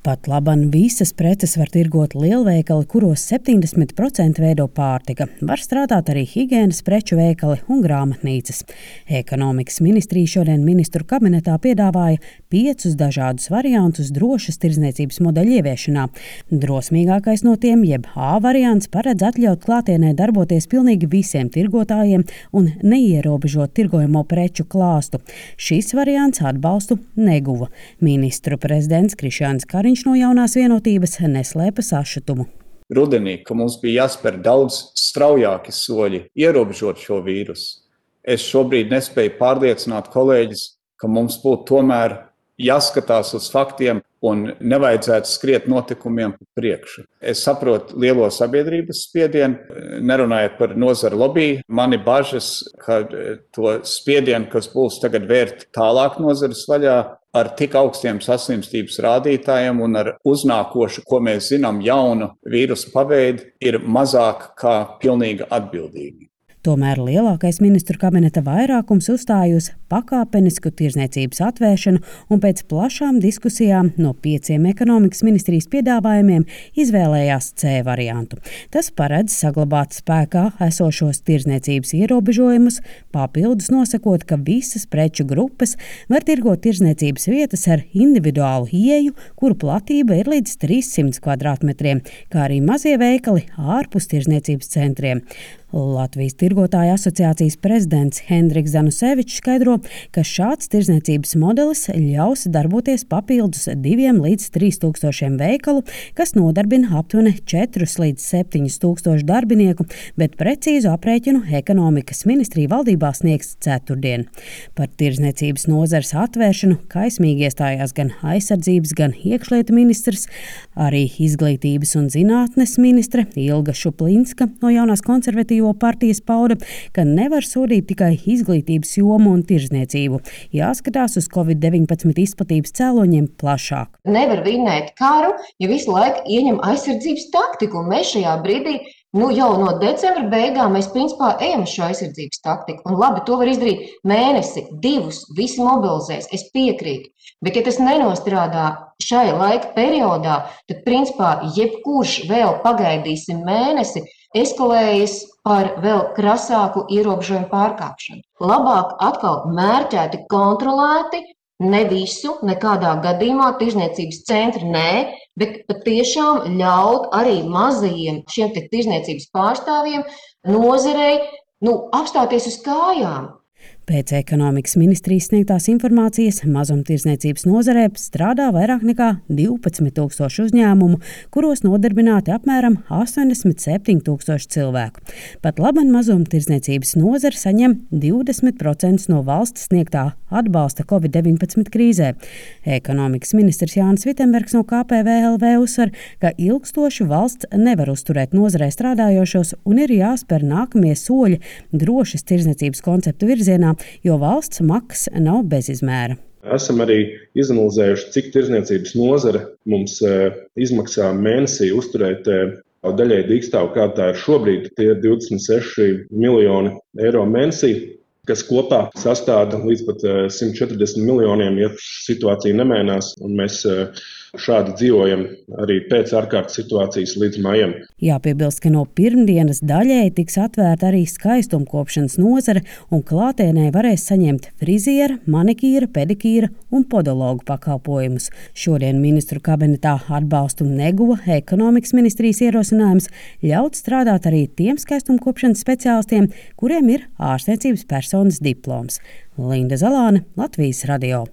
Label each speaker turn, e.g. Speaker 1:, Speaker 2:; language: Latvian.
Speaker 1: Pat laban visas preces var tirgot lielveikali, kuros 70% veido pārtika. Var strādāt arī higienas preču veikali un grāmatnīcas. Ekonomikas ministrija šodien ministru kabinetā piedāvāja 5 dažādus variantus drošas tirdzniecības modeļu ieviešanā. Drosmīgākais no tiem, jeb A variants, paredz atļaut klātienē darboties pilnīgi visiem tirgotājiem un neierobežot tirgojamo preču klāstu. Šis variants atbalstu neguva. Ministru prezidents Krišjānis Kariņš no Jaunās vienotības neslēpa sašutumu.
Speaker 2: Rudenī, ka mums bija jāspēr daudz straujāki soļi, ierobežot šo vīrusu. Es šobrīd nespēju pārliecināt kolēģis, ka mums būtu tomēr jāskatās uz faktiem un nevajadzētu skriet notikumiem pa priekšu. Es saprotu lielo sabiedrības spiedienu, nerunājot par nozara lobby. Mani bažas, ka to spiedienu, kas būs tagad vērt tālāk nozares vaļā, ar tik augstiem saslimstības rādītājiem un ar uznākošu, ko mēs zinām, jaunu vīrusu paveidu, ir mazāk kā pilnīgi atbildīgi.
Speaker 1: Tomēr lielākais ministru kabineta vairākums uzstāja uz pakāpenisku tirdzniecības atvēršanu un pēc plašām diskusijām no 5 ekonomikas ministrijas piedāvājumiem izvēlējās C variantu. Tas paredz saglabāt spēkā esošos tirdzniecības ierobežojumus, papildus nosakot, ka visas preču grupas var tirgot tirdzniecības vietas ar individuālu ieeju, kuru platība ir līdz 300 kvadrātmetriem, kā arī mazie veikali ārpus tirdzniecības centriem. Latvijas tirgotāju asociācijas prezidents Hendriks Zanusevičs skaidro, ka šāds tirdzniecības modelis ļaus darboties papildus 2 līdz 3 tūkstošiem veikalu, kas nodarbina aptuveni 4 līdz 7 tūkstošu darbinieku, bet precīzu aprēķinu ekonomikas ministrija valdībā sniegs ceturtdien. Par tirdzniecības nozares atvēršanu kaismīgi iestājās gan aizsardzības, gan iekšlietu ministrs, arī izglītības un zinātnes ministre Ilga Šuplinska no Jaunās konservatīvās partijas pauda, ka nevar sodīt tikai izglītības jomu un tirdzniecību. Jāskatās uz Covid-19 izplatības cēloņiem plašāk.
Speaker 3: Nevar vinnēt karu, ja visu laiku ieņem aizsardzības taktiku, un mēs šajā brīdī jau no decembra beigām mēs principā ejam uz šo aizsardzības taktiku. Un labi, to var izdarīt mēnesi, 2, visi mobilizēs, es piekrītu. Bet ja tas nenostrādā šai laika periodā, tad principā jebkurš vēl pagaidīsim mēnesi, eskalējas par vēl krasāku ierobežojumu pārkāpšanu. Labāk atkal mērķēti kontrolēti, ne visu, nekādā gadījumā tirdzniecības centri nē, bet patiešām ļaut arī mazajiem šiem tirdzniecības pārstāvjiem nozarei apstāties uz kājām.
Speaker 1: Pēc ekonomikas ministrijas sniegtās informācijas mazumtirdzniecības nozarē strādā vairāk nekā 12 000 uzņēmumu, kuros nodarbināti apmēram 87 000 cilvēku. Pat laban mazumtirdzniecības nozare saņem 20% no valsts sniegtā atbalsta Covid-19 krīzē. Ekonomikas ministrs Jānis Vitenbergs no KPVLV uzsver, ka ilgstoši valsts nevar uzturēt nozarē strādājošos un ir jāspēr nākamie soļi drošas tirdzniecības konceptu virzienā, jo valsts maksas nav bezizmēra.
Speaker 4: Esam arī izanalizējuši, cik tirdzniecības nozare mums izmaksā mēnesī uzturēt daļēji dīkstāvu, kā tā ir šobrīd. Tie ir 26 miljoni eiro mēnesī, kas kopā sastāda līdz pat 140 miljoniem, ja situācija nemainās, un mēs šādi dzīvojam arī pēc ārkārtas situācijas līdz maijam.
Speaker 1: Jāpiebilst, ka no pirmdienas daļēji tiks atvērta arī skaistumkopšanas nozare, un klātienē varēs saņemt friziera, manikīra, pedikīra un podologu pakalpojumus. Šodien ministru kabinetā atbalstu neguva ekonomikas ministrijas ierosinājums ļaut strādāt arī tiem skaistumkopšanas speciālistiem, kuriem ir ārstniecības personas diploms. Linda Zalāne, Latvijas radio.